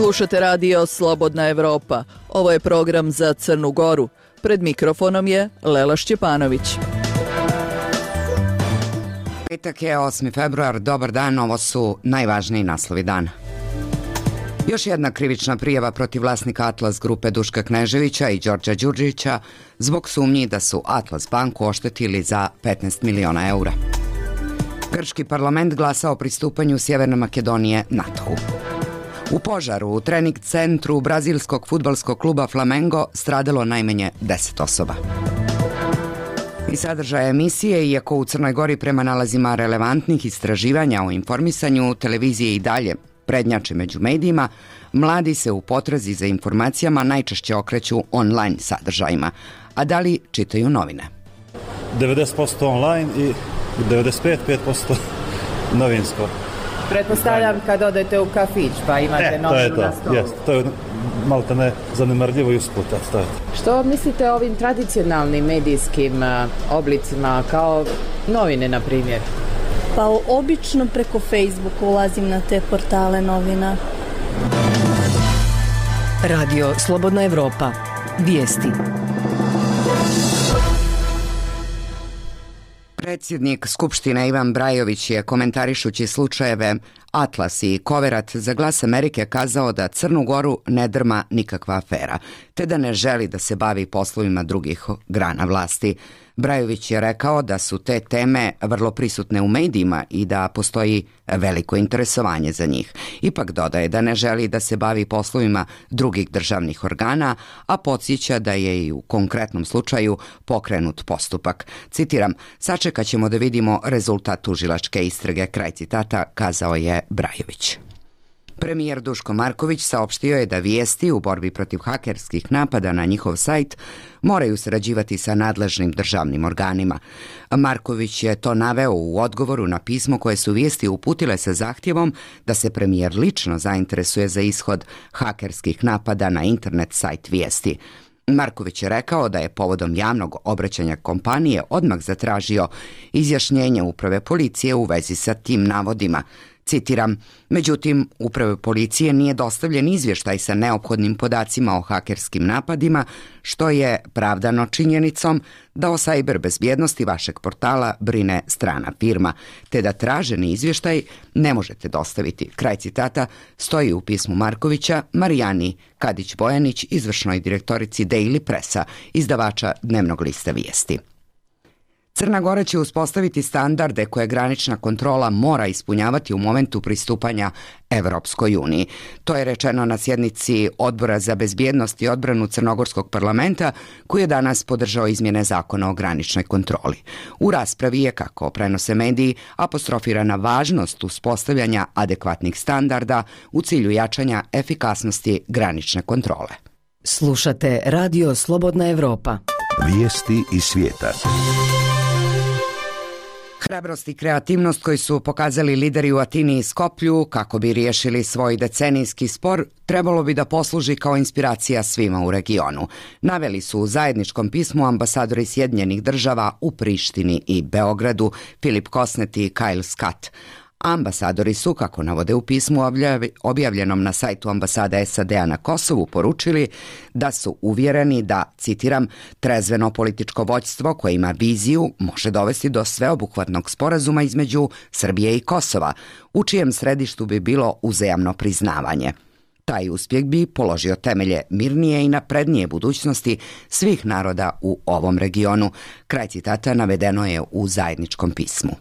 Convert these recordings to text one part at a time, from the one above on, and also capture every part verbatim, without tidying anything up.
Slušate radio Slobodna Evropa. Ovo je program za Crnu Goru. Pred mikrofonom je Lela Šćepanović. Petak je osmi februar, dobar dan, ovo su najvažniji naslovi dana. Još jedna krivična prijava protiv vlasnika Atlas grupe Duška Kneževića i Đorđa Đurđevića zbog sumnji da su Atlas banku oštetili za petnaest miliona eura. Grčki parlament glasa o pristupanju Sjeverne Makedonije NATO-u. U požaru u trening centru brazilskog fudbalskog kluba Flamengo stradalo najmanje deset osoba. I sadržaja emisije, iako u Crnoj Gori prema nalazima relevantnih istraživanja o informisanju, televizije i dalje prednjače među medijima, mladi se u potrazi za informacijama najčešće okreću online sadržajima. A da li čitaju novine? devedeset posto online i devedeset pet posto novinsko. Pretpostavljam kad odete u kafić pa imate e, novinu to na stolu. Jest, to je malo te ne zanemarljivo i usput. Što mislite o ovim tradicionalnim medijskim uh, oblicima kao novine, na primjer? Pa obično preko Facebooka ulazim na te portale novina. Radio Slobodna Evropa. Vijesti. Predsjednik Skupštine Ivan Brajović je, komentarišući slučajeve Atlas i Koverat za Glas Amerike, kazao da Crnu Goru ne drma nikakva afera, te da ne želi da se bavi poslovima drugih grana vlasti. Brajović je rekao da su te teme vrlo prisutne u medijima i da postoji veliko interesovanje za njih. Ipak dodaje da ne želi da se bavi poslovima drugih državnih organa, a podsjeća da je i u konkretnom slučaju pokrenut postupak. Citiram, sačekat ćemo da vidimo rezultat tužilačke istrage, kraj citata, kazao je Brajović. Premijer Duško Marković saopštio je da vijesti u borbi protiv hakerskih napada na njihov sajt moraju sarađivati sa nadležnim državnim organima. Marković je to naveo u odgovoru na pismo koje su vijesti uputile sa zahtjevom da se premijer lično zainteresuje za ishod hakerskih napada na internet sajt vijesti. Marković je rekao da je povodom javnog obraćanja kompanije odmah zatražio izjašnjenje uprave policije u vezi sa tim navodima. Citiram, međutim, uprave policije nije dostavljen izvještaj sa neophodnim podacima o hakerskim napadima, što je pravdano činjenicom da o sajber bezbjednosti vašeg portala brine strana firma, te da traženi izvještaj ne možete dostaviti. Kraj citata stoji u pismu Markovića Marijani Kadić-Bojanić, izvršnoj direktorici Daily Pressa, izdavača dnevnog lista vijesti. Crna Gora će uspostaviti standarde koje granična kontrola mora ispunjavati u momentu pristupanja Evropskoj uniji. To je rečeno na sjednici Odbora za bezbjednost i odbranu Crnogorskog parlamenta, koji je danas podržao izmjene zakona o graničnoj kontroli. U raspravi je, kako prenose mediji, apostrofirana važnost uspostavljanja adekvatnih standarda u cilju jačanja efikasnosti granične kontrole. Slušate Radio Slobodna Evropa. Vijesti iz svijeta. Hrabrost i kreativnost koji su pokazali lideri u Atini i Skoplju kako bi riješili svoj decenijski spor trebalo bi da posluži kao inspiracija svima u regionu. Naveli su u zajedničkom pismu ambasadori Sjedinjenih država u Prištini i Beogradu Filip Kosnet i Kyle Scott. Ambasadori su, kako navode u pismu objavljenom na sajtu ambasade S A D-a na Kosovu, poručili da su uvjereni da, citiram, trezveno političko vođstvo koje ima viziju može dovesti do sveobuhvatnog sporazuma između Srbije i Kosova, u čijem središtu bi bilo uzajamno priznavanje. Taj uspjeh bi položio temelje mirnije i naprednije budućnosti svih naroda u ovom regionu. Kraj citata navedeno je u zajedničkom pismu.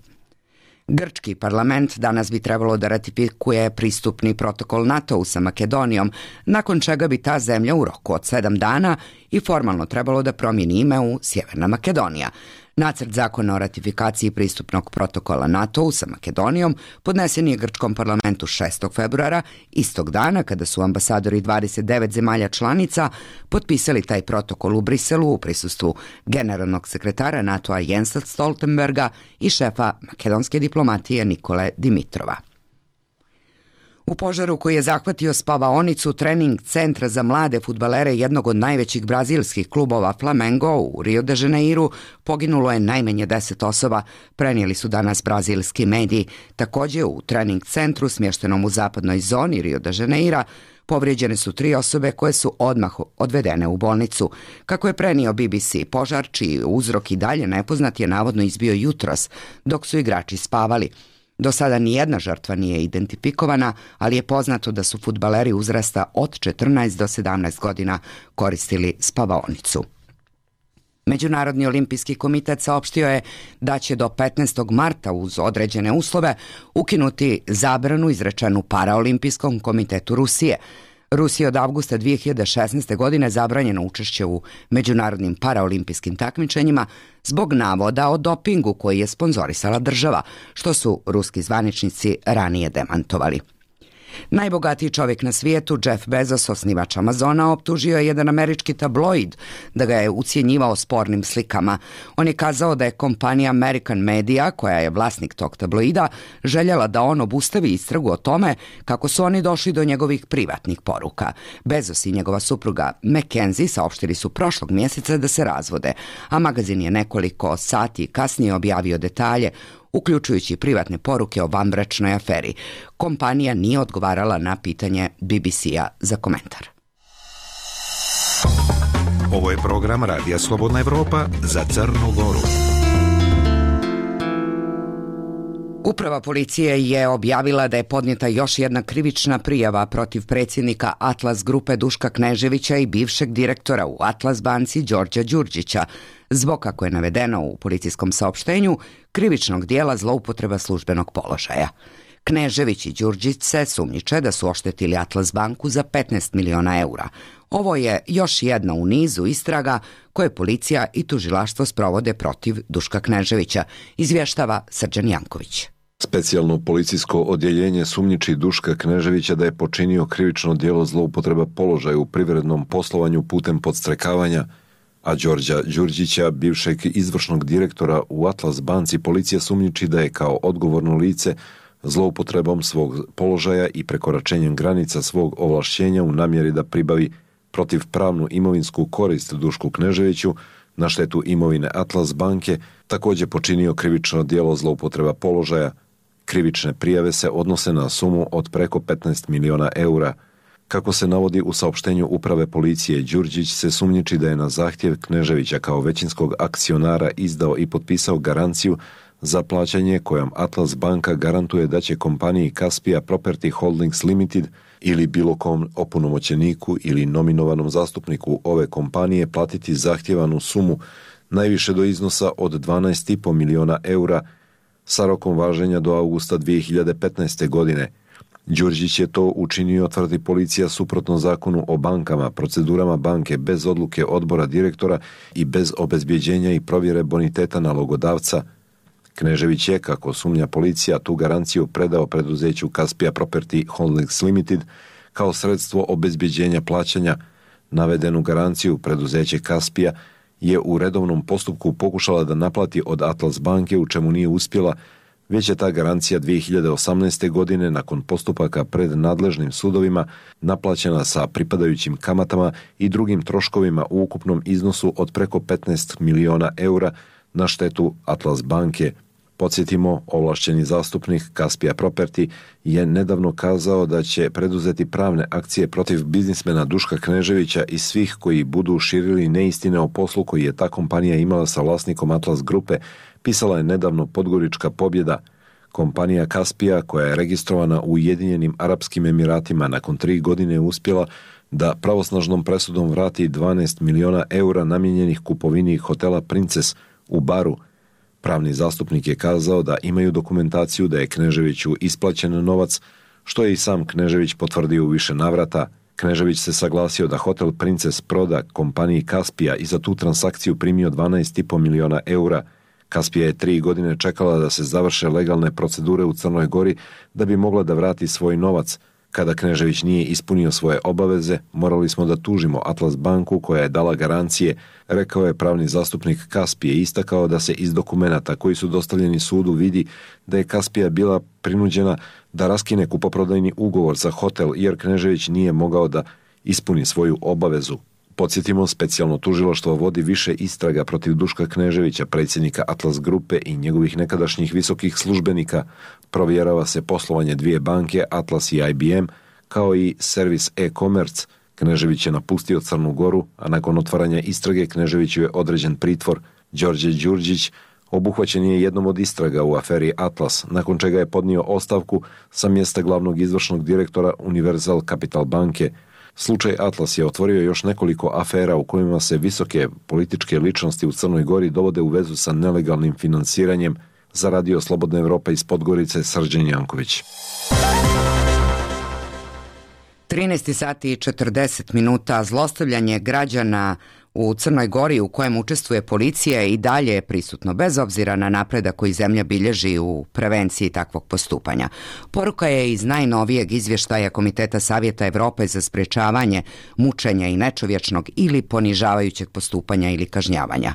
Grčki parlament danas bi trebalo da ratifikuje pristupni protokol NATO-u sa Makedonijom, nakon čega bi ta zemlja u roku od sedam dana i formalno trebalo da promijeni ime u Sjeverna Makedonija. Nacrt zakona o ratifikaciji pristupnog protokola NATO-u sa Makedonijom podnesen je grčkom parlamentu šestog februara, istog dana kada su ambasadori dvadeset devet zemalja članica potpisali taj protokol u Briselu u prisustvu generalnog sekretara NATO-a Jensa Stoltenberga i šefa makedonske diplomatije Nikole Dimitrova. U požaru koji je zahvatio spavaonicu trening centra za mlade fudbalere jednog od najvećih brazilskih klubova Flamengo u Rio de Janeiru poginulo je najmanje deset osoba, prenijeli su danas brazilski mediji. Također u trening centru smještenom u zapadnoj zoni Rio de Janeira Povrijeđene su tri osobe koje su odmah odvedene u bolnicu. Kako je prenio B B C, požar, čiji uzrok i dalje nepoznat, je navodno izbio jutros, dok su igrači spavali. Do sada nijedna žrtva nije identifikovana, ali je poznato da su fudbaleri uzrasta od četrnaest do sedamnaest godina koristili spavaonicu. Međunarodni olimpijski komitet saopštio je da će do petnaestog marta uz određene uslove ukinuti zabranu izrečenu Paraolimpijskom komitetu Rusije. Rusiji od avgusta dvije hiljade šesnaeste. godine zabranjeno učešće u međunarodnim paraolimpijskim takmičenjima zbog navoda o dopingu koji je sponzorisala država, što su ruski zvaničnici ranije demantovali. Najbogatiji čovjek na svijetu, Jeff Bezos, osnivač Amazona, optužio je jedan američki tabloid da ga je ucjenjivao spornim slikama. On je kazao da je kompanija American Media, koja je vlasnik tog tabloida, željela da on obustavi istragu o tome kako su oni došli do njegovih privatnih poruka. Bezos i njegova supruga Mackenzie saopštili su prošlog mjeseca da se razvode, a magazin je nekoliko sati kasnije objavio detalje, uključujući privatne poruke o vanbračnoj aferi. Kompanija nije odgovarala na pitanje B B C-a za komentar. Ovo je program Radija Slobodna Evropa za Crnu Goru. Uprava policije je objavila da je podnijeta još jedna krivična prijava protiv predsjednika Atlas grupe Duška Kneževića i bivšeg direktora u Atlas banci Đorđa Đurđića, zbog, kako je navedeno u policijskom saopštenju, krivičnog dijela zloupotreba službenog položaja. Knežević i Đurđić se sumnjiče da su oštetili Atlas banku za petnaest miliona eura. Ovo je još jedna u nizu istraga koje policija i tužilaštvo sprovode protiv Duška Kneževića, izvještava Srđan Janković. Specijalno policijsko odjeljenje sumnjiči Duška Kneževića da je počinio krivično djelo zloupotreba položaja u privrednom poslovanju putem podstrekavanja, a Đorđa Đurđića, bivšeg izvršnog direktora u Atlas banci, policija sumnjiči da je kao odgovorno lice zloupotrebom svog položaja i prekoračenjem granica svog ovlašćenja u namjeri da pribavi protivpravnu imovinsku korist Dušku Kneževiću na štetu imovine Atlas banke, također počinio krivično djelo zloupotreba položaja. Krivične prijave se odnose na sumu od preko petnaest miliona eura. Kako se navodi u saopštenju uprave policije, Đurđić se sumnjiči da je na zahtjev Kneževića kao većinskog akcionara izdao i potpisao garanciju za plaćanje kojom Atlas banka garantuje da će kompaniji Caspia Property Holdings Limited ili bilo kom opunomoćeniku ili nominovanom zastupniku ove kompanije platiti zahtjevanu sumu najviše do iznosa od dvanaest i pol miliona eura sa rokom važenja do avgusta dvije hiljade petnaeste. godine. Đurđić je to učinio, tvrdi policija, suprotno zakonu o bankama, procedurama banke, bez odluke odbora direktora i bez obezbjeđenja i provjere boniteta nalogodavca. Knežević je, kako sumnja policija, tu garanciju predao preduzeću Caspia Property Holdings Limited kao sredstvo obezbjeđenja plaćanja. Navedenu garanciju preduzeće Caspia je u redovnom postupku pokušala da naplati od Atlas banke, u čemu nije uspjela, već je ta garancija dvije hiljade osamnaeste. godine nakon postupaka pred nadležnim sudovima naplaćena sa pripadajućim kamatama i drugim troškovima u ukupnom iznosu od preko petnaest miliona eura na štetu Atlas banke. Podsjetimo, ovlašćeni zastupnik Caspia Property je nedavno kazao da će preduzeti pravne akcije protiv biznismena Duška Kneževića i svih koji budu širili neistine o poslu koji je ta kompanija imala sa vlasnikom Atlas grupe, pisala je nedavno Podgorička Pobjeda. Kompanija Caspia, koja je registrovana u Ujedinjenim Arapskim Emiratima, nakon tri godine uspjela da pravosnažnom presudom vrati dvanaest miliona eura namijenjenih kupovini hotela Princes u Baru. Pravni zastupnik je kazao da imaju dokumentaciju da je Kneževiću isplaćen novac, što je i sam Knežević potvrdio u više navrata. Knežević se saglasio da hotel Princes proda kompaniji Caspia i za tu transakciju primio dvanaest i pol miliona eura. Caspia je tri godine čekala da se završe legalne procedure u Crnoj Gori da bi mogla da vrati svoj novac. Kada Knežević nije ispunio svoje obaveze, morali smo da tužimo Atlas banku koja je dala garancije, rekao je pravni zastupnik Caspije, istakao da se iz dokumenata koji su dostavljeni sudu vidi da je Caspija bila prinuđena da raskine kupoprodajni ugovor za hotel jer Knežević nije mogao da ispuni svoju obavezu. Podsjetimo, specijalno tužilaštvo vodi više istraga protiv Duška Kneževića, predsjednika Atlas grupe i njegovih nekadašnjih visokih službenika. Provjerava se poslovanje dvije banke, Atlas i I B M, kao i servis e-commerce. Knežević je napustio Crnu Goru, a nakon otvaranja istrage Kneževiću je određen pritvor. Đorđe Đurđić obuhvaćen je jednom od istraga u aferi Atlas, nakon čega je podnio ostavku sa mjesta glavnog izvršnog direktora Universal Capital banke. Slučaj Atlas je otvorio još nekoliko afera u kojima se visoke političke ličnosti u Crnoj Gori dovode u vezu sa nelegalnim finansiranjem. Za Radio Slobodna Evropa iz Podgorice, Srđan Janković. trinaest sati i četrdeset minuta. Zlostavljanje građana u Crnoj Gori u kojem učestvuje policija i dalje je prisutno, bez obzira na napredak koji zemlja bilježi u prevenciji takvog postupanja. Poruka je iz najnovijeg izvještaja Komiteta Savjeta Evrope za sprečavanje mučenja i nečovječnog ili ponižavajućeg postupanja ili kažnjavanja.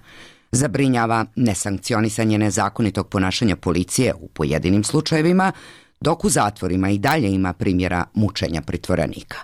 Zabrinjava nesankcionisanje nezakonitog ponašanja policije u pojedinim slučajevima, dok u zatvorima i dalje ima primjera mučenja pritvorenika.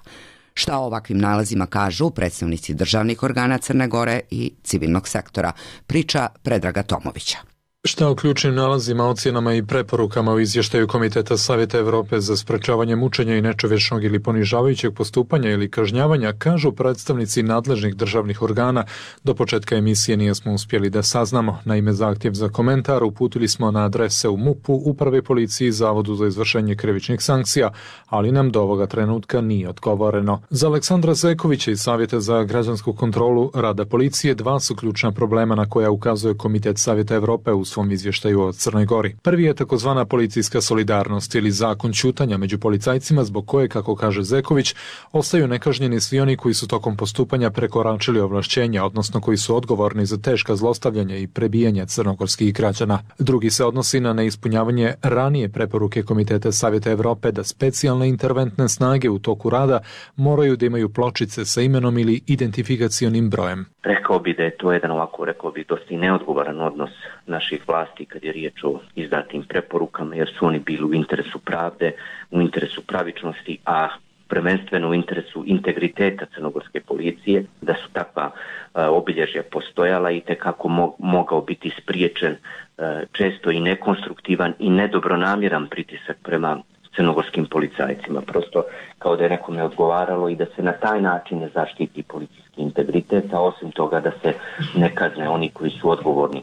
Šta o ovakvim nalazima kažu predstavnici državnih organa Crne Gore i civilnog sektora, priča Predraga Tomovića. Šta o ključnim nalazima, ocjenama i preporukama u izvještaju Komiteta Savjeta Evrope za sprečavanje mučenja i nečovječnog ili ponižavajućeg postupanja ili kažnjavanja kažu predstavnici nadležnih državnih organa, do početka emisije nismo uspjeli da saznamo. Naime, zahtjev za komentar uputili smo na adrese u MUP-u, Upravi policiji i Zavodu za izvršenje krivičnih sankcija, ali nam do ovoga trenutka nije odgovoreno. Za Aleksandra Zekovića iz Savjeta za građansku kontrolu rada policije dva su ključna problema na koja ukazuje Komitet Savjeta Evrope u svom izvještaju o Crnoj Gori. Prvi je takozvana policijska solidarnost ili zakon ćutanja među policajcima, zbog koje, kako kaže Zeković, ostaju nekažnjeni svi oni koji su tokom postupanja prekoračili ovlašćenja, odnosno koji su odgovorni za teška zlostavljanja i prebijanja crnogorskih građana. Drugi se odnosi na neispunjavanje ranije preporuke Komiteta Savjeta Evrope da specijalne interventne snage u toku rada moraju da imaju pločice sa imenom ili identifikacionim brojem. Rekao bi da je to jedan ovako, rekao bi, dosta i neodgovoran odnos naših vlasti kad je riječ o izdatim preporukama, jer su oni bili u interesu pravde, u interesu pravičnosti, a prvenstveno u interesu integriteta crnogorske policije, da su takva uh, obilježja postojala i tekako mo- mogao biti spriječen uh, često i nekonstruktivan i nedobronamjeran pritisak prema crnogorskim policajcima. Prosto kao da je nekome odgovaralo i da se na taj način ne zaštiti policijski integritet, a osim toga da se ne kazne oni koji su odgovorni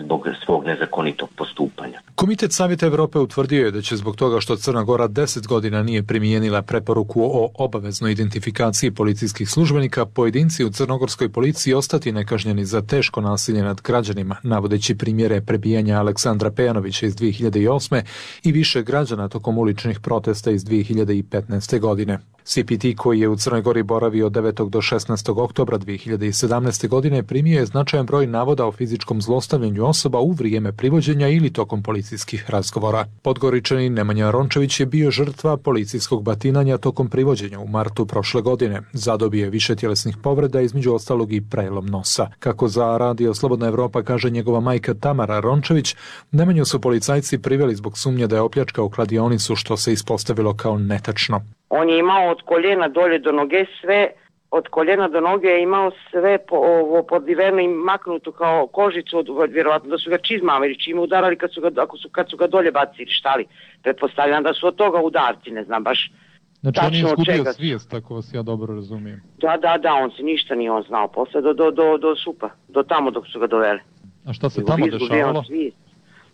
zbog svog nezakonitog postupanja. Komitet Savjeta Evrope utvrdio je da će zbog toga što Crna Gora deset godina nije primijenila preporuku o obaveznoj identifikaciji policijskih službenika, pojedinci u crnogorskoj policiji ostati nekažnjeni za teško nasilje nad građanima, navodeći primjere prebijanja Aleksandra Pejanovića iz dvije hiljade osme i više građana tokom uličnih protesta iz dvije hiljade petnaeste. godine. C P T, koji je u Crnoj Gori boravio od devetog do šesnaestog oktobra dvije hiljade sedamnaeste. godine, primio je značajan broj navoda o fizičkom zlostavljanju osoba u vrijeme privođenja ili tokom policijskih razgovora. Podgoričanin Nemanja Rončević je bio žrtva policijskog batinanja tokom privođenja u martu prošle godine. Zadobio je više tjelesnih povreda, između ostalog i prelom nosa. Kako za Radio Slobodna Evropa kaže njegova majka Tamara Rončević, Nemanju su policajci priveli zbog sumnje da je opljačkao kladionicu, što se ispostavilo kao netačno. On je imao od koljena dolje do noge sve, od koljena do noge je imao sve po, ovo, podiveno i maknuto kao kožicu, od, vjerovatno da su ga čizmama ili čime udarali kad su ga, ako su, kad su ga dolje bacili, šta li. Pretpostavljam da su od toga udarci, ne znam baš. Znači on je izgubio svijest, tako vas ja dobro razumijem. Da, da, da, on se ništa nije on znao posle, do, do, do, do supa, do tamo dok su ga doveli. A šta se tamo dešavalo?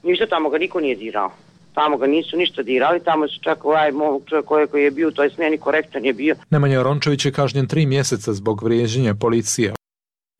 Ništa, tamo ga niko nije dirao. Tamo ga nisu ništa dirali, tamo su čak ovaj čovjek koji, koji je bio, to je smjeni korektan je bio. Nemanja Rončević je kažnjen tri mjeseca zbog vrijeđanja policije.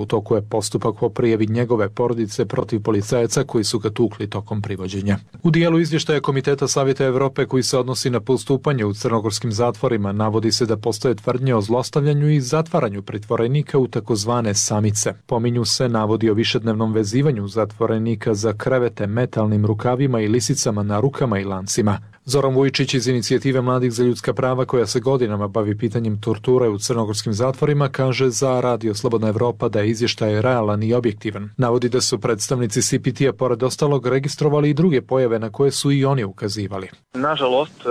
U toku je postupak po prijavi njegove porodice protiv policajaca koji su ga tukli tokom privođenja. U dijelu izvještaja Komiteta Savjeta Evrope koji se odnosi na postupanje u crnogorskim zatvorima navodi se da postoje tvrdnje o zlostavljanju i zatvaranju pritvorenika u takozvane samice. Pominju se navodi o višednevnom vezivanju zatvorenika za krevete metalnim rukavima i lisicama na rukama i lancima. Zoran Vujčić iz Inicijative mladih za ljudska prava, koja se godinama bavi pitanjem torture u crnogorskim zatvorima, kaže za Radio Slobodna Evropa da je izvještaj realan i objektivan. Navodi da su predstavnici C P T-a pored ostalog registrovali i druge pojave na koje su i oni ukazivali. Nažalost,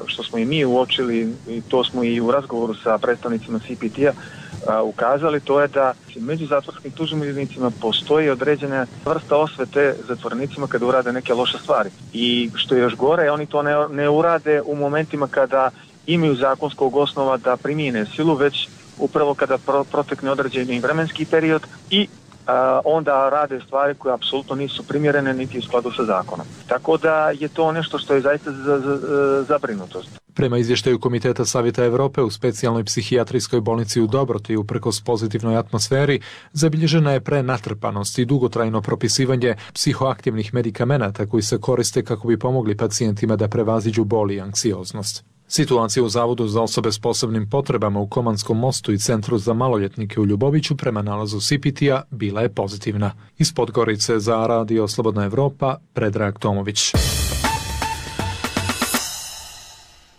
što smo i mi uočili, i to smo i u razgovoru sa predstavnicima C P T-a ukazali, to je da među zatvorskim tužiteljima postoji određena vrsta osvete zatvorenicima kada urade neke loše stvari. I što je još gore, oni to ne, ne urade u momentima kada imaju zakonskog osnova da primijene silu, već upravo kada pro, protekne određeni vremenski period i a, onda rade stvari koje apsolutno nisu primjerene niti u skladu sa zakonom. Tako da je to nešto što je zaista za, za, za zabrinutost. Prema izvještaju Komiteta Savjeta Europe u specijalnoj psihijatrijskoj bolnici u Dobroti uprkos pozitivnoj atmosferi zabilježena je prenatrpanost i dugotrajno propisivanje psihoaktivnih medikamenata koji se koriste kako bi pomogli pacijentima da prevaziđu bol i anksioznost. Situacija u Zavodu za osobe s posebnim potrebama u Komanskom mostu i Centru za maloljetnike u Ljuboviću prema nalazu C P T-a bila je pozitivna. Iz Podgorice za Radio Slobodna Evropa, Predrag Tomović.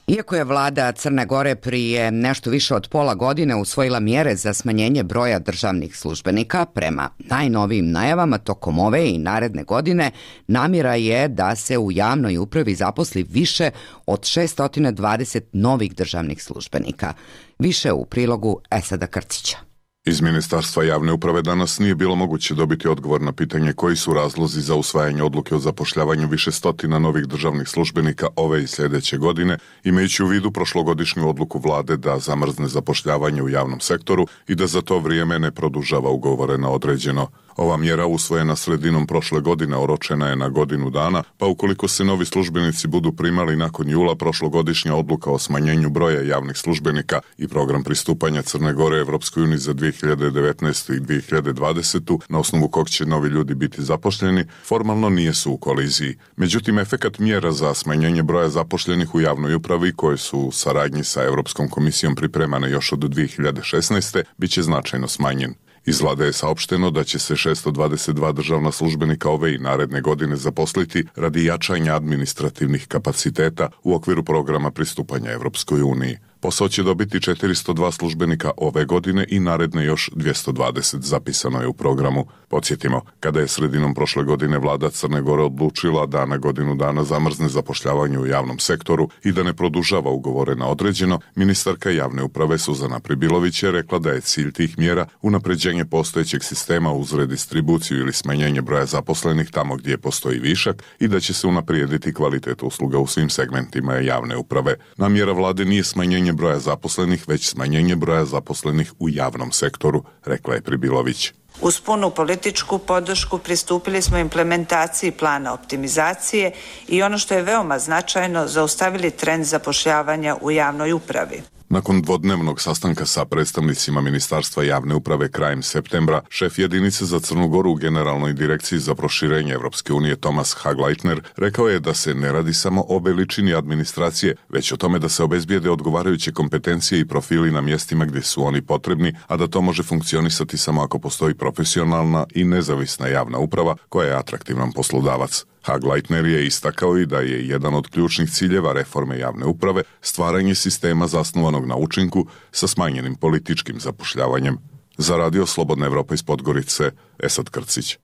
Iako je vlada Crne Gore prije nešto više od pola godine usvojila mjere za smanjenje broja državnih službenika, prema najnovijim najavama tokom ove i naredne godine namjera je da se u javnoj upravi zaposli više od šesto dvadeset novih državnih službenika. Više u prilogu Esada Krcića. Iz Ministarstva javne uprave danas nije bilo moguće dobiti odgovor na pitanje koji su razlozi za usvajanje odluke o zapošljavanju više stotina novih državnih službenika ove i sljedeće godine, imajući u vidu prošlogodišnju odluku vlade da zamrzne zapošljavanje u javnom sektoru i da za to vrijeme ne produžava ugovore na određeno. Ova mjera usvojena sredinom prošle godine oročena je na godinu dana, pa ukoliko se novi službenici budu primali nakon jula, prošlogodišnja odluka o smanjenju broja javnih službenika i program pristupanja Crne Gore Evropskoj uniji za dvije hiljade devetnaestu i dvije hiljade dvadesetu, na osnovu kog će novi ljudi biti zaposleni, formalno nije su u koliziji. Međutim, efekat mjera za smanjenje broja zaposlenih u javnoj upravi, koje su u saradnji sa Europskom komisijom pripremane još od dvije hiljade šesnaeste, bit će značajno smanjen. Iz vlade je saopšteno da će se šesto dvadeset dva državna službenika ove i naredne godine zaposliti radi jačanja administrativnih kapaciteta u okviru programa pristupanja Evropskoj uniji. Posao će dobiti četiristo dva službenika ove godine i naredne još dvjesto dvadeset, zapisano je u programu. Podsjetimo, kada je sredinom prošle godine vlada Crne Gore odlučila da na godinu dana zamrzne zapošljavanje u javnom sektoru i da ne produžava ugovore na određeno, ministarka javne uprave Suzana Pribilović je rekla da je cilj tih mjera unapređenje postojećeg sistema uz redistribuciju ili smanjenje broja zaposlenih tamo gdje postoji višak i da će se unaprijediti kvalitet usluga u svim segmentima javne uprave. Namjera vlade nije smanjenje broja zaposlenih, već smanjenje broja zaposlenih u javnom sektoru, rekla je Pribilović. Uz punu političku podršku pristupili smo implementaciji plana optimizacije i ono što je veoma značajno, zaustavili trend zapošljavanja u javnoj upravi. Nakon dvodnevnog sastanka sa predstavnicima Ministarstva javne uprave krajem septembra, šef jedinice za Crnu Goru u Generalnoj direkciji za proširenje Evropske unije Tomas Hagleitner rekao je da se ne radi samo o veličini administracije, već o tome da se obezbijede odgovarajuće kompetencije i profili na mjestima gdje su oni potrebni, a da to može funkcionisati samo ako postoji profesionalna i nezavisna javna uprava koja je atraktivan poslodavac. Hagleitner je istakao i da je jedan od ključnih ciljeva reforme javne uprave stvaranje sistema zasnovanog na učinku sa smanjenim političkim zapošljavanjem. Za Radio Slobodna Evropa iz Podgorice, Esad Krcić.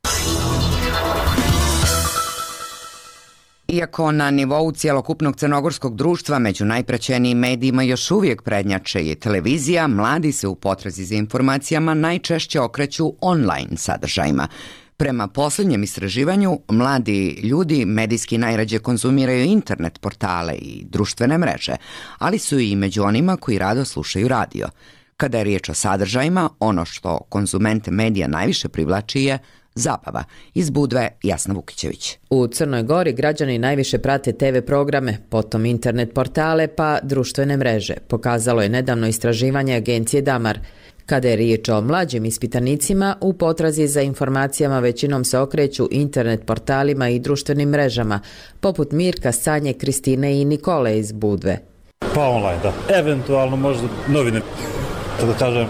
Iako na nivou cjelokupnog crnogorskog društva među najpraćenijim medijima još uvijek prednjače je televizija, mladi se u potrazi za informacijama najčešće okreću online sadržajima. Prema posljednjem istraživanju, mladi ljudi medijski najrađe konzumiraju internet portale i društvene mreže, ali su i među onima koji rado slušaju radio. Kada je riječ o sadržajima, ono što konzumente medija najviše privlači je zabava. Iz Budve, Jasna Vukićević. U Crnoj Gori građani najviše prate te ve programe, potom internet portale pa društvene mreže, pokazalo je nedavno istraživanje agencije Damar. Kada je riječ o mlađim ispitanicima, u potrazi za informacijama većinom se okreću internet portalima i društvenim mrežama, poput Mirka, Sanje, Kristine i Nikole iz Budve. Pa online, da. Eventualno možda novine, da kažem,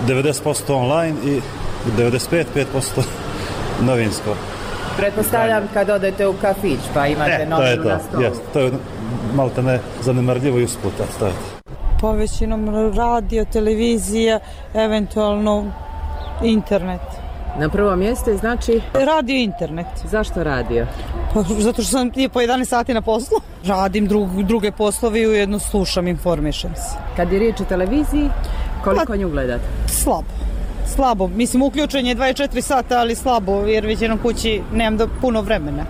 devedeset posto online i devedeset pet, pet posto novinsko. Pretpostavljam kad odete u kafić pa imate e, novinu na stolu. Jest, to je malo te ne zanemarljivo i usput staviti. Pa većinom radio, televizija, eventualno internet. Na prvo mjesto je znači? Radio i internet. Zašto radio? Pa, zato što sam po jedanaest sati na poslu. Radim drug, druge poslove i ujedno slušam, informišem se. Kad je riječ o televiziji, koliko pa, nju gledate? Slabo. slabo. Mislim, uključen je dvadeset četiri sata, ali slabo, jer već jednom kući nemam do puno vremena.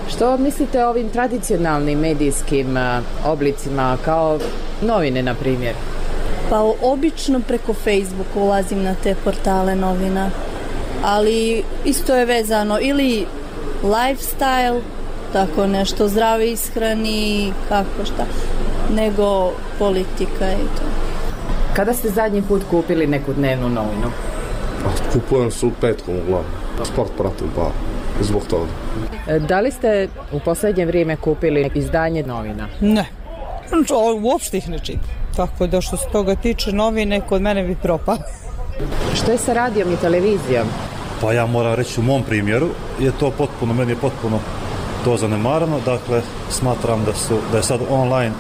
Što mislite o ovim tradicionalnim medijskim a, oblicima, kao novine, na primjer? Pa obično preko Facebooka ulazim na te portale novina, ali isto je vezano ili lifestyle, tako nešto, zdrave ishrani, kako šta, nego politika i to. Kada ste zadnji put kupili neku dnevnu novinu? Kupujem se u petkom uglavnom. Sport pratim, pa zbog toga. Da li ste u posljednje vrijeme kupili izdanje novina? Ne, uopšte ih ne čitam. Tako da što se toga tiče, novine kod mene bi propao. Što je sa radijom i televizijom? Pa ja moram reći, u mom primjeru je to potpuno, meni je potpuno to zanemarano. Dakle, smatram da, su, da je sad online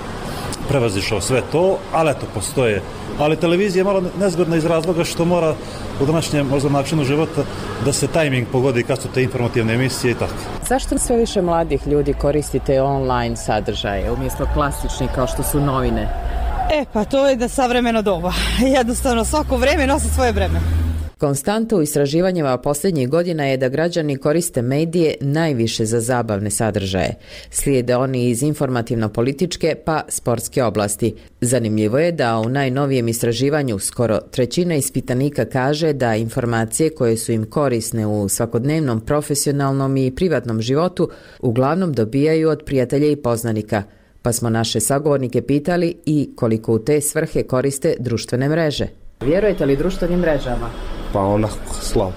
prevazišao sve to, ali eto, postoje. Ali televizija je malo nezgodna iz razloga što mora u današnjem možda načinu života da se tajming pogodi kad su te informativne emisije i tako. Zašto sve više mladih ljudi koristite online sadržaje umjesto klasičnih kao što su novine? E, pa to je da savremeno doba. Jednostavno, svako vreme nosi svoje vreme. Konstanta u istraživanjima posljednjih godina je da građani koriste medije najviše za zabavne sadržaje. Slijede oni iz informativno-političke pa sportske oblasti. Zanimljivo je da u najnovijem istraživanju skoro trećina ispitanika kaže da informacije koje su im korisne u svakodnevnom profesionalnom i privatnom životu uglavnom dobijaju od prijatelja i poznanika. Pa smo naše sagovornike pitali i koliko u te svrhe koriste društvene mreže. Vjerujete li društvenim mrežama? Pa onako slabo.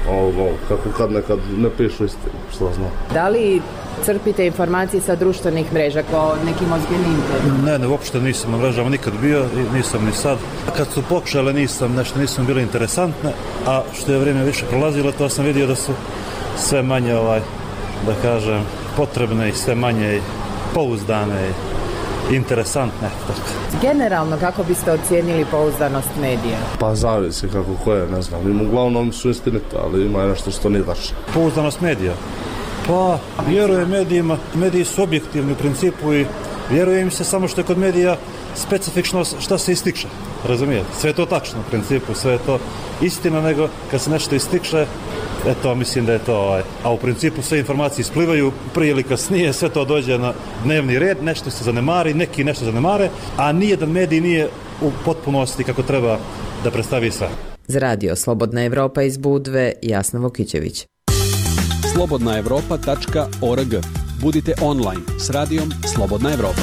Ovo, kako kad nekad ne pišu istinu, što znam. Da li crpite informacije sa društvenih mreža kao nekim ozbiljnim? Ne, ne, uopšte nisam na mrežama nikad bio i nisam ni sad. Kad su pokušale nisam, nešto nisam bile interesantne, a što je vrijeme više prolazilo, to sam vidio da su sve manje, ovaj, da kažem, potrebne i sve manje pouzdane i interesantne. Tako. Generalno, kako biste ocijenili pouzdanost medija? Pa zavisi kako koje, ne znam. Im uglavnom su istinite, ali ima nešto što nije tačno. Pouzdanost medija? Pa, vjerujem medijima. Mediji su objektivni u principu i vjerujem se samo što je kod medija specifično šta se ističe. Razumijete? Sve je to tačno u principu, sve je to istina, nego kad se nešto ističe, eto, mislim da je to, ovaj, a u principu sve informacije isplivaju prije ili kasnije, sve to dođe na dnevni red, nešto se zanemari, neki nešto zanemare, a nijedan medij nije u potpunosti kako treba da predstavi sve. Za radio Slobodna Evropa iz Budve, Jasna Vokićević. slobodna evropa tačka org. Budite online s radijom Slobodna Evropa.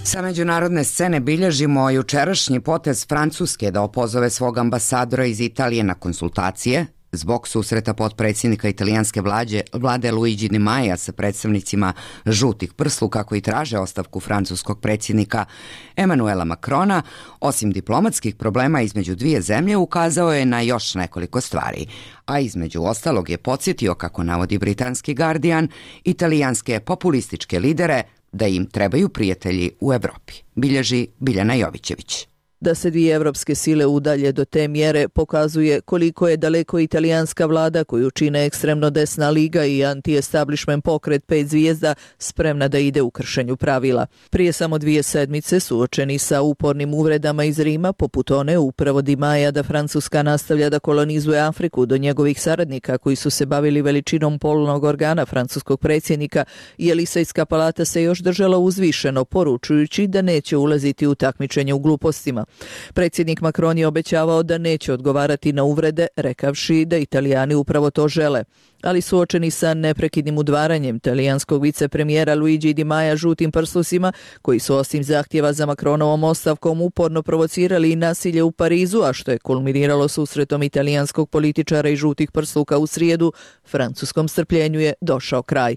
Sa međunarodne scene bilježimo jučerašnji potez Francuske da opozove svog ambasadora iz Italije na konsultacije zbog susreta potpredsjednika italijanske vlade, vlade Luigi Di Maia sa predstavnicima žutih prsluka koji traže ostavku francuskog predsjednika Emanuela Macrona. Osim diplomatskih problema između dvije zemlje, ukazao je na još nekoliko stvari, a između ostalog je podsjetio, kako navodi britanski Guardian, italijanske populističke lidere da im trebaju prijatelji u Evropi, bilježi Biljana Jovićević. Da se dvije evropske sile udalje do te mjere pokazuje koliko je daleko italijanska vlada, koju čine ekstremno desna liga i anti-establishment pokret pet zvijezda, spremna da ide u kršenju pravila. Prije samo dvije sedmice, suočeni sa upornim uvredama iz Rima, poput one upravo Di Maia da Francuska nastavlja da kolonizuje Afriku, do njegovih saradnika koji su se bavili veličinom polnog organa francuskog predsjednika, i Elisejska palata se još držala uzvišeno, poručujući da neće ulaziti u takmičenje u glupostima. Predsjednik Macron je obećavao da neće odgovarati na uvrede, rekavši da Italijani upravo to žele. Ali suočeni sa neprekidnim udvaranjem talijanskog vicepremijera Luigi Di Maia žutim prslusima, koji su osim zahtjeva za Macronovom ostavkom uporno provocirali i nasilje u Parizu, a što je kulminiralo susretom italijanskog političara i žutih prsluka u srijedu, francuskom strpljenju je došao kraj.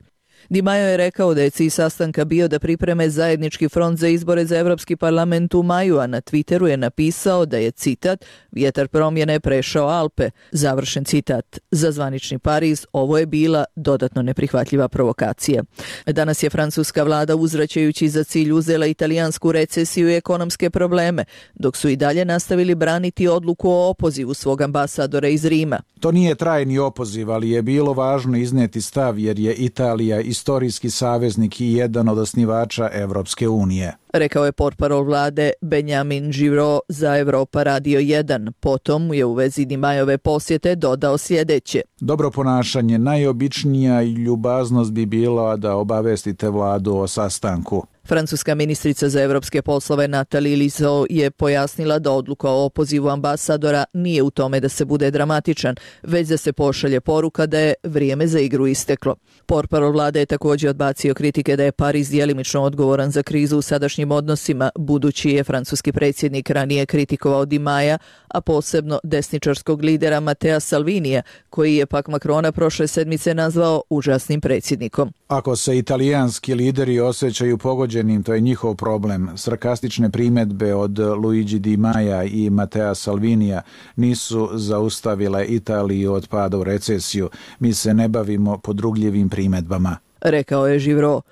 Di Maio je rekao da je cilj sastanka bio da pripreme zajednički front za izbore za Europski parlament u maju, a na Twitteru je napisao da je, citat, vjetar promjene prešao Alpe, završen citat. Za zvanični Pariz ovo je bila dodatno neprihvatljiva provokacija. Danas je francuska vlada, uzvraćajući za cilj, uzela italijansku recesiju i ekonomske probleme, dok su i dalje nastavili braniti odluku o opozivu svog ambasadora iz Rima. To nije trajni opoziv, ali je bilo važno iznijeti stav jer je Italija istorijski saveznik i jedan od osnivača Evropske unije. Rekao je portparol vlade Benjamin Giraud za Evropa Radio jedan. Potom je u vezi Dimajove posjete dodao sljedeće. Dobro ponašanje, najobičnija i ljubaznost bi bila da obavestite vladu o sastanku. Francuska ministrica za evropske poslove Nathalie Liso je pojasnila da odluka o opozivu ambasadora nije u tome da se bude dramatičan, već da se pošalje poruka da je vrijeme za igru isteklo. Portparol vlade je također odbacio kritike da je Pariz djelimično odgovoran za krizu u sadašnjim odnosima, budući je francuski predsjednik ranije kritikovao Di Maja, a posebno desničarskog lidera Matea Salvinija, koji je pak Macrona prošle sedmice nazvao užasnim predsjednikom. Ako se italijanski lideri osjećaju pogođenim, to je njihov problem. Sarkastične primjedbe od Luigi Di Maja i Matea Salvinija nisu zaustavile Italiju od pada u recesiju. Mi se ne bavimo podrugljivim primjedbama, rekao je Giraud.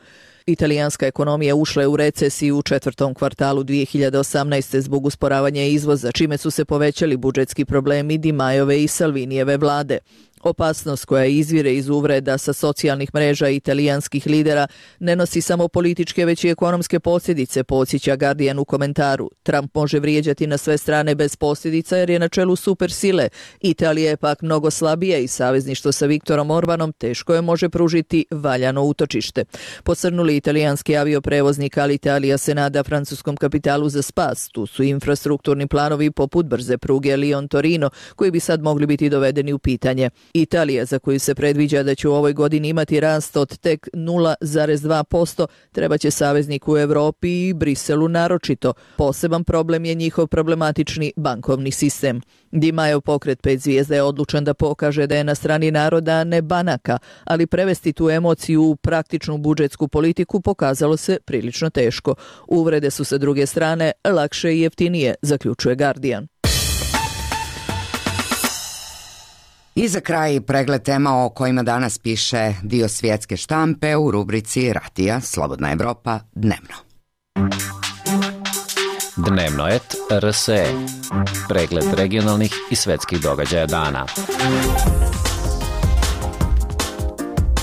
Italijanska ekonomija ušla je u recesiju u četvrtom kvartalu dvije hiljade osamnaeste. zbog usporavanja izvoza, čime su se povećali budžetski problemi Di Majove i Salvinijeve vlade. Opasnost koja izvire iz uvreda sa socijalnih mreža italijanskih lidera ne nosi samo političke, već i ekonomske posljedice, podsjeća Guardian u komentaru. Trump može vrijeđati na sve strane bez posljedica jer je na čelu supersile. Italija je pak mnogo slabija i savezništvo sa Viktorom Orbanom teško je može pružiti valjano utočište. Posrnuli italijanski avioprevoznik Alitalia se nada francuskom kapitalu za spas. Tu su infrastrukturni planovi poput brze pruge Lyon-Torino, koji bi sad mogli biti dovedeni u pitanje. Italija, za koju se predviđa da će u ovoj godini imati rast od tek nula zarez dva posto, treba će saveznik u Europi i Briselu naročito. Poseban problem je njihov problematični bankovni sistem. Di Majo pokret pet zvijezda je odlučan da pokaže da je na strani naroda, a ne banaka, ali prevesti tu emociju u praktičnu budžetsku politiku pokazalo se prilično teško. Uvrede su sa druge strane lakše i jeftinije, zaključuje Guardian. I za kraj pregled tema o kojima danas piše dio svjetske štampe u rubrici Radija Slobodna Evropa dnevno. Dnevnoet R S E. Pregled regionalnih i svetskih događaja dana.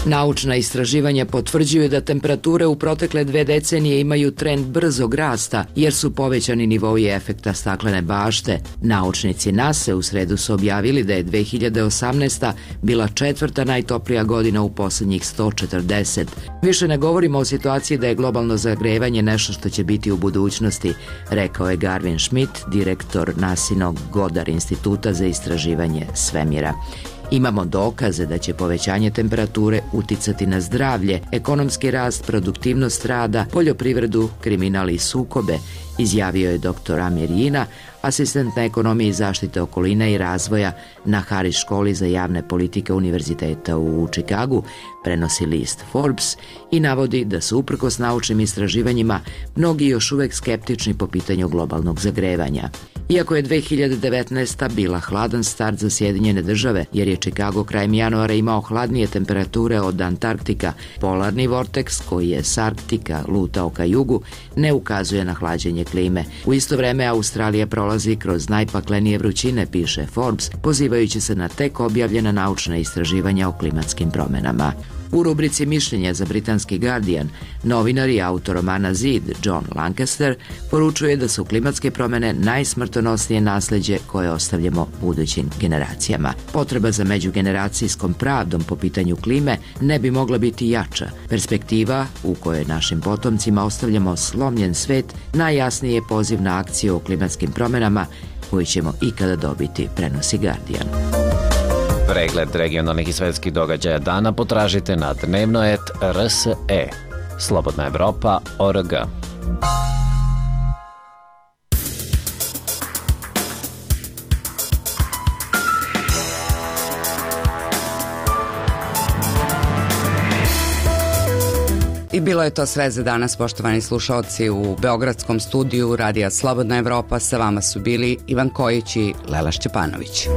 Naučna istraživanja potvrđuju da temperature u protekle dve decenije imaju trend brzog rasta jer su povećani nivoi efekta staklene bašte. Naučnici NASA u sredu su objavili da je dve hiljade osamnaesta. bila četvrta najtoplija godina u posljednjih sto četrdeset. Više ne govorimo o situaciji da je globalno zagrevanje nešto što će biti u budućnosti, rekao je Garvin Schmidt, direktor NASinog Goddard instituta za istraživanje svemira. Imamo dokaze da će povećanje temperature uticati na zdravlje, ekonomski rast, produktivnost rada, poljoprivredu, kriminal i sukobe, izjavio je doktor Amir Jina, asistent na ekonomiji zaštite okoline i razvoja na Harris školi za javne politike Univerziteta u Čikagu, prenosi list Forbes i navodi da su uprkos naučnim istraživanjima mnogi još uvijek skeptični po pitanju globalnog zagrevanja. Iako je dve hiljade devetnaesta. bila hladan start za Sjedinjene države, jer je Chicago krajem januara imao hladnije temperature od Antarktika, polarni vorteks koji je s Arktika lutao ka jugu ne ukazuje na hlađenje klime. U isto vreme Australija prolazi kroz najpaklenije vrućine, piše Forbes, pozivajući se na tek objavljena naučna istraživanja o klimatskim promjenama. U rubrici mišljenja za britanski Guardian, novinar i autor romana Zid, John Lancaster, poručuje da su klimatske promjene najsmrtonosnije nasljeđe koje ostavljamo budućim generacijama. Potreba za međugeneracijskom pravdom po pitanju klime ne bi mogla biti jača. Perspektiva u kojoj našim potomcima ostavljamo slomljen svet najjasniji je poziv na akciju o klimatskim promjenama koju ćemo ikada dobiti, prenosi Guardian. Pregled regionalnih i svetskih događaja dana potražite na dnevnoet R S E. Slobodna Evropa tačka org. I bilo je to sve za danas, poštovani slušalci. U beogradskom studiju Radija Slobodna Evropa sa vama su bili Ivan Kojić i Lela Šćepanović.